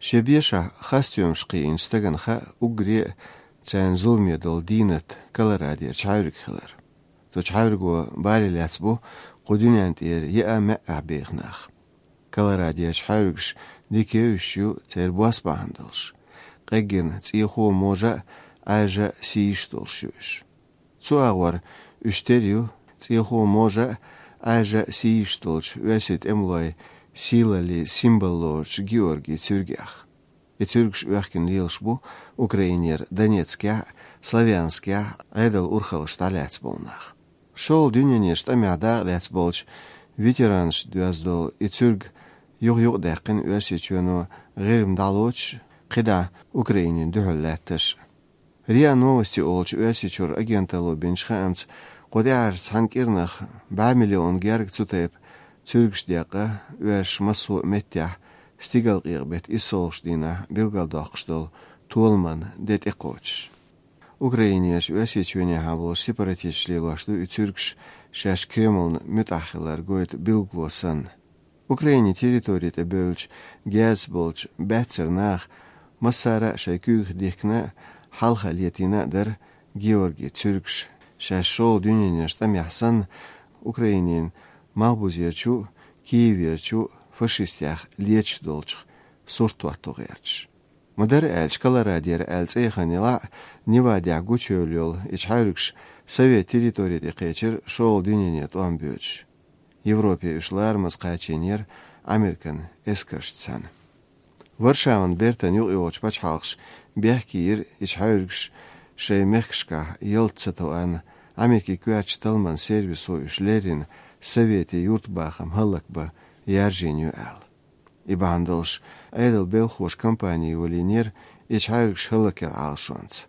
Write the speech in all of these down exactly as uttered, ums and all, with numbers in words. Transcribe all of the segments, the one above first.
Шен бешахь хасстоьмаш кхиийначу стагана хаьа уггаре а царна зуламе долу дийнат Колорадерчу хьаьврига хилар. Цу чу хьаьвриго бале лаьцна бу кху дуьнен тӀера еа маьӀӀехь беха нах. Колорадерчу хьаьвригаш дика евзаш ю, церан бос бахьана долуш. Къеггина цӀехо можа а, Ӏаьржа а сийсаш долуш ю уьш. Цу агӀор уьш тера ю цӀехо можа а, Ӏаьржа а сийсаш долчу оьрсийн тӀемалойн сийлаллин символ лоручу Георгий цуьргех. И цуьргаш оьхкина лелаш бу Украинера Донецкехь а, Славянскехь а Ӏедалан урхаллаш дӀалаьцна болу нах. ШолгӀа дуьненан тӀамехь дакъа лаьцна болчу ветеранашна доьзна долу и цуьрг юха-юха даьккхина Оьрсийчоьно ГӀирма дӀалоцуш, кхидӀа Украинина дуьхьал лаьтташ. РИА Новости олучу Оьрсийчуьра агенталло бинчу хаамца, кху тӀаьхьарчу цхьана кӀирнах бӀе миллион герга цу тайпа цуьргаш декъна, оьрсаша массо а меттехь стигалкъекъа беттан иссалгӀачу дийнахь билгалдоккхуш долу толаман де тӀекхочуш. Украинерчу Оьрсийчоьнехьа болчу сепаратисташа лелош ду и цуьргаш, шаьш Кремлна муьтӀахь хилар гойту билгало санна. Украинин территори тӀе бевллачу герзаца болчу баьццара наха массара а шайн куьйгах дихкина а, хьалха летийна а дара Георгий цуьргаш, шаьш шолгӀа дуьненан тӀамехь санна, Украинин малхбузерчу а, Киеверчу а фашистех леташ долчух сурт хӀотто гӀерташ. Ма-дарра аьлча, Колорадера аьлла цӀе яхана елахь а, Невадехь гучуевлла йолу и чу хьаьвригаш Совет территори тӀе кхечира шолгӀа дуьненан тӀом боьдуш. Европе уьш ларамаза кхачийнера Американ эскаршца цхьаьна. Варшаван бертан юкъайогӀучу пачхьалкхаша бехке йира и чу хьаьвригаш шайн мехкашкахь ялта ца тоарна, Америкин коьртачу талламан сервисо уьш леррина Советийн юьртабахам хӀаллакбан яржийна ю аьлла. И бахьана долуш, Ӏедалан белхахоша кампани йолийнера и чу хьаьвригаш хӀаллакъяран Ӏалашонца.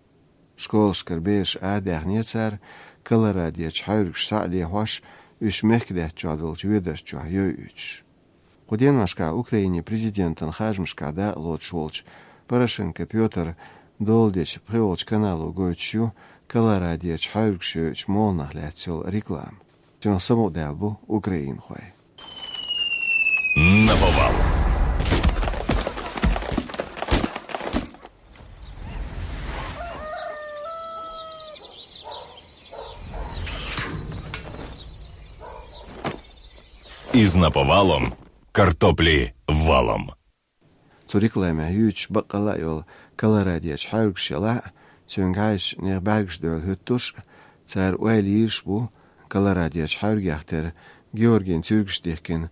Школашкара бераш арадаьхнера цара, Колорадерчу хьаьвригаш схьа а лехьош, уьш мехкан лаьттачохь долчу ведарш чохь йойуьйтуш. Кху деношкахь Украинин президентан харжамашкахь дакъа лоцуш волчу Порошенко Пётра дола дечу пхоьалгӀачу канало гойтуш ю Колорадерчу хьаьвригаш йойучу молханах лаьцна йолу реклама. Цунах самукъадаьлла бу украинхой. Наповал. Из наповалом, картопли валом. Цу рекламехь юьйцуш баккъалла а йолу Колорадерчу хьаьвригаш елахь а, цуьнга хьаьжча нехан бӀаьргаш дуьхьал хӀуьттуш а, цара ойла йийраш а бу Колорадерчу хьаьвригех тера Георгин цуьргаш дихкина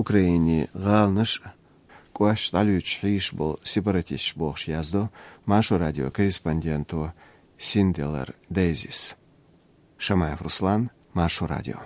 Украинин гӀаланаш а, кӀошташ дӀалуьйчуш хьийзаш болу сепаратисташ бохуш, яздо Маршо радион корреспонденто Синделар Дейзис. Шамаев Руслан, Маршо радио.